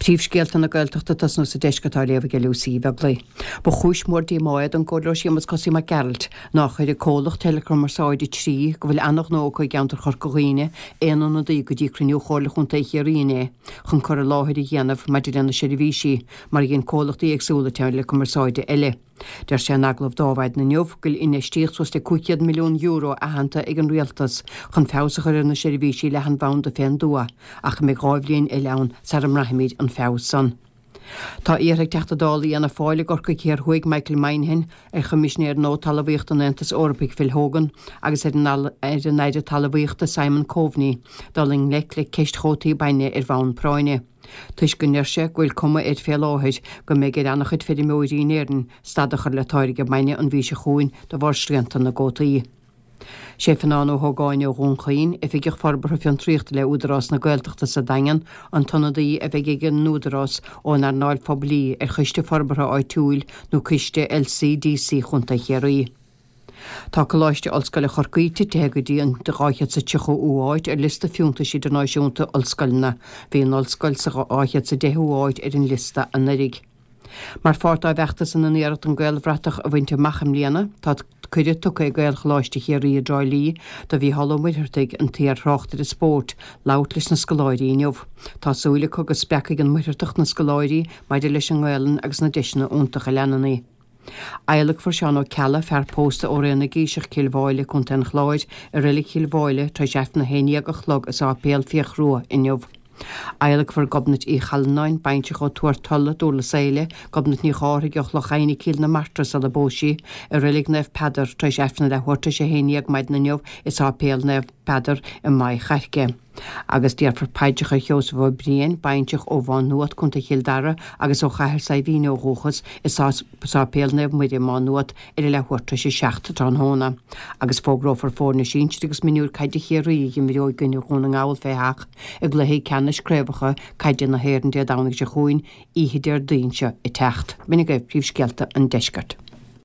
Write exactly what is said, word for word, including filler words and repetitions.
Príomhscéalta na Gaeltachta tosnú sa deisceart á léamh ag Lucy Beaglaoich. Ba chúis mhór díomá é don Chomhairleoir Séamus Cosaí Mac Gearailt nár chuir an comhlacht teileachumarsáide Three go bhfuil an-ghnó acu i gceantar Chorca Dhuibhne aon ionadaí go dtí cruinniú Chomhairle Chontae Chiarraí inné chun cur i láthair a dhéanamh maidir lena seirbhísí mar a dhein comhlachtaí éagsúla teileachumarsáide eile. Deir sé in agallamh d'Adhmhaidin inniu go bhfuil infheistíocht suas le cúig chéad milliún euro aitheanta ag an rialtas chun feabhas a chur ar na seirbhísí leathanbhanda fén dtuath, ach go mbeidh dhá bhliain eile ann sara mbraithfimid an feabhas san. Tá iarrtha ag Teachta Dála Fhianna Fáil i gCorcaigh Thiar Thuaidh Michael Moynihan ar Choimisinéir nua Talmhaíochta an Aontais Eorpaigh Phil Hogan agus ar an ar an Aire Talmhaíochta Simon Coveney dul i ngleic le ceist chótaí bainne ar bhonn práinne. Toisc go ndeir sé go bhfuil cuma air fé láthair go mbeidh ar an-chuid feirmeoirí in Éirinn stad a chur le táirgeadh bainne an mhí seo chugainn de bharr srianta na gcótaí. Sé Fionnán Ó hÓgáin ó Dhún Chaoin, Oifigeach Forbartha Fiontraíochta le Údarás na Gaeltachta sa Daingean, an t-ionadaí a bheidh ag an Údarás ón earnáil phoiblí ar Choiste Forbartha Áitiúil nó Coiste LCDC Chontae Chiarraí. Tá Coláiste Ollscoile Chorcaí titithe go dtí an dhá chéad sa tríochú háit ar liosta fiúntais idirnáisiúnta ollscoileanna. Bhí an ollscoil sa dhá chéad sa deichiú háit ar an liosta anuraidh. Mar pháirt dá bhfeachtas ina n-iarracht an Gaelbhratach a bhaint amach i mbliana, tá cuireadh tugtha ag Gaelcholáiste Chiarraí i dTrá Lí do Mhícheál Ó Muircheartaigh, an t-iar-thráchtaire spóirt, labhairt leis na scoláirí inniu. Tá súil acu go spreagfaidh an Muircheartach na scoláirí maidir leis an nGaelainn agus na deiseanna iontacha a leanann í. Adhlacfar Seán Ó Ceallaigh, fear pósta ó Rae na gCíseach, Cill Mháille, Contae an Chláir, i Reilig Chill Mháille tar éis Aifreann a haon déag a chlog i Sáipéal Fiach Rua inniu. Adhlacfar Gobnait Uí Challanáin, baintreach ó Tuar Tolla, Dúrlas Éile, Gobnait Ní Chárthaigh ó Chloch Adhna, Cill na Martra sula bpós sí, i Reilig Naomh Peadar tar éis Aifreann a leathuair tar éis a haon déag maidin inniu i Sáipéal Naomh Peadar i Maigh Chairce. Agus déarfar paidreacha ar Sheosamh Ó Briain, baintreach ó Mhá Nuad, Contae Chill Dara, agus ó Chathair Saidhbhín ó dhúchas i Sáipéal Naomh Muire, Má Nuad, ar a leathuair tar éis a seacht tráthnóna. Agus fógrófar foirne sinsir agus mionúir caide Chiarraí a imreoidh i gcoinne Dhún na nGall fé sheach i gcluichí ceannais craobhacha caide na hÉireann Dé Domhnaigh seo chugainn, oíche Déardaoin seo ag teacht. B'in agaibh príomhscéalta an deiscirt.